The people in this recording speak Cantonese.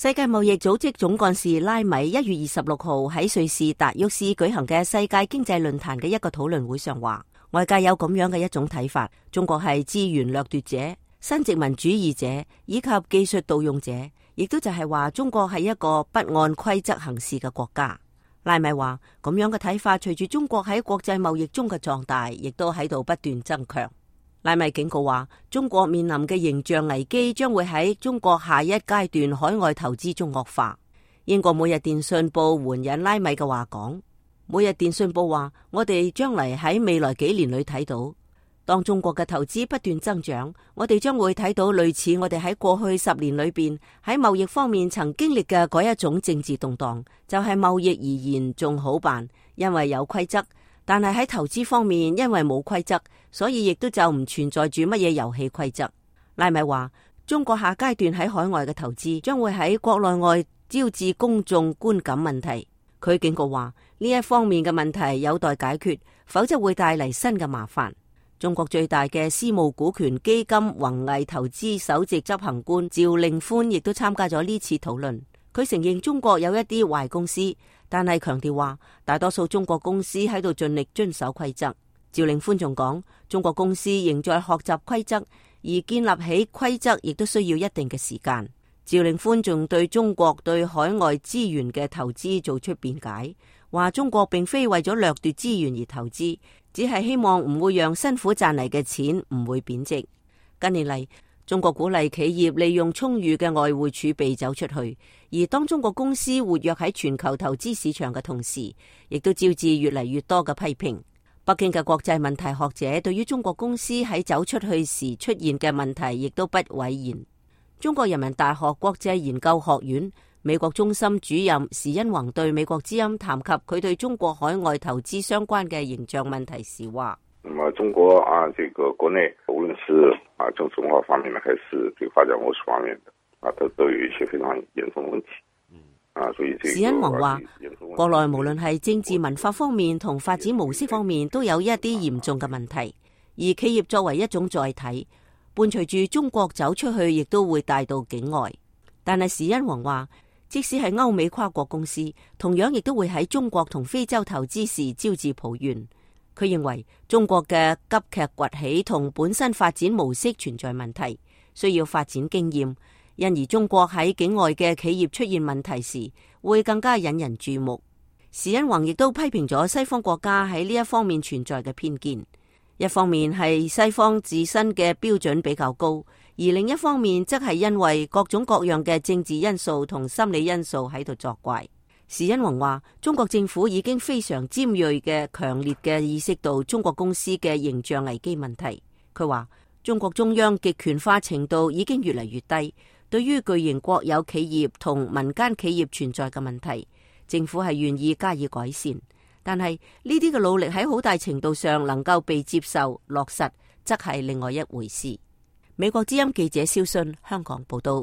世界貿易組織總幹事拉米1月26號喺瑞士達沃斯舉行嘅世界經濟論壇嘅一個討論會上話，外界有咁樣嘅一種睇法，中國係資源掠奪者、新殖民主義者以及技術盜用者，亦都就係話中國係一個不按規則行事嘅國家。拉米話咁樣嘅睇法，隨住中國喺國際貿易中嘅壯大，亦都喺度不斷增強。拉米警告話，中國面臨嘅形象危機將會喺中國下一階段海外投資中惡化。英國每日電訊報援引拉米嘅話講，每日電訊報話，我哋將嚟喺未來幾年裏睇到，當中國嘅投資不斷增長，我哋將會睇到類似我哋喺過去10年裏邊喺貿易方面曾經歷嘅嗰一種政治動盪，就係貿易而言仲好辦，因為有規則。但係喺投資方面，因為冇規則，所以亦都就唔存在住乜嘢遊戲規則。拉米話，中國下階段喺海外嘅投資將會喺國內外招致公眾觀感問題。佢警告話，呢一方面嘅問題有待解決，否則會帶嚟新嘅麻煩。中國最大嘅私募股權基金宏毅投資首席執行官趙令歡亦都參加咗呢次討論。佢承認中國有一啲壞公司，但係強調話大多數中國公司喺度盡力遵守規則。趙令歡仲講，中國公司仍在學習規則，而建立起規則亦都需要一定嘅時間。趙令歡仲對中國對海外資源嘅投資做出辯解，話中國並非為咗掠奪資源而投資，只係希望唔會讓辛苦賺嚟嘅錢唔會貶值。近年嚟，中國鼓勵企業利用充裕嘅外匯儲備走出去，而當中國公司活躍喺全球投資市場嘅同時，亦都招致越嚟越多嘅批評。北京嘅國際問題學者對於中國公司喺走出去時出現嘅問題，亦都不諱言。中國人民大學國際研究學院美國中心主任時殷弘對美國之音談及佢對中國海外投資相關嘅形象問題時話：那麼中國這個國內無論是政治文化方面呢，還是這個發展模式方面的都有一些非常嚴重問題。所以時殷弘話，國內無論係政治文化方面同發展模式方面都有一啲嚴重嘅問題，而企業作為一種載體，伴隨住中國走出去，亦都會帶到境外。但係時殷弘話，即使係歐美跨國公司，同樣亦都會喺中國同非洲投資時招致抱怨。佢認為中國嘅急劇崛起同本身發展模式存在問題，需要發展經驗，因而中國喺境外嘅企業出現問題時，會更加引人注目。時殷弘亦都批評咗西方國家喺呢一方面存在嘅偏見，一方面係西方自身嘅標準比較高，而另一方面則係因為各種各樣嘅政治因素同心理因素喺度作怪。時殷弘話，中國政府已經非常尖銳嘅強烈嘅意識到中國公司嘅形象危機問題。佢話中國中央極權化程度已經越嚟越低，對於巨型國有企業同民間企業存在嘅問題，政府係願意加以改善，但係呢啲嘅努力喺好大程度上能夠被接受落實，則係另外一回事。美國之音記者蕭信香港報道。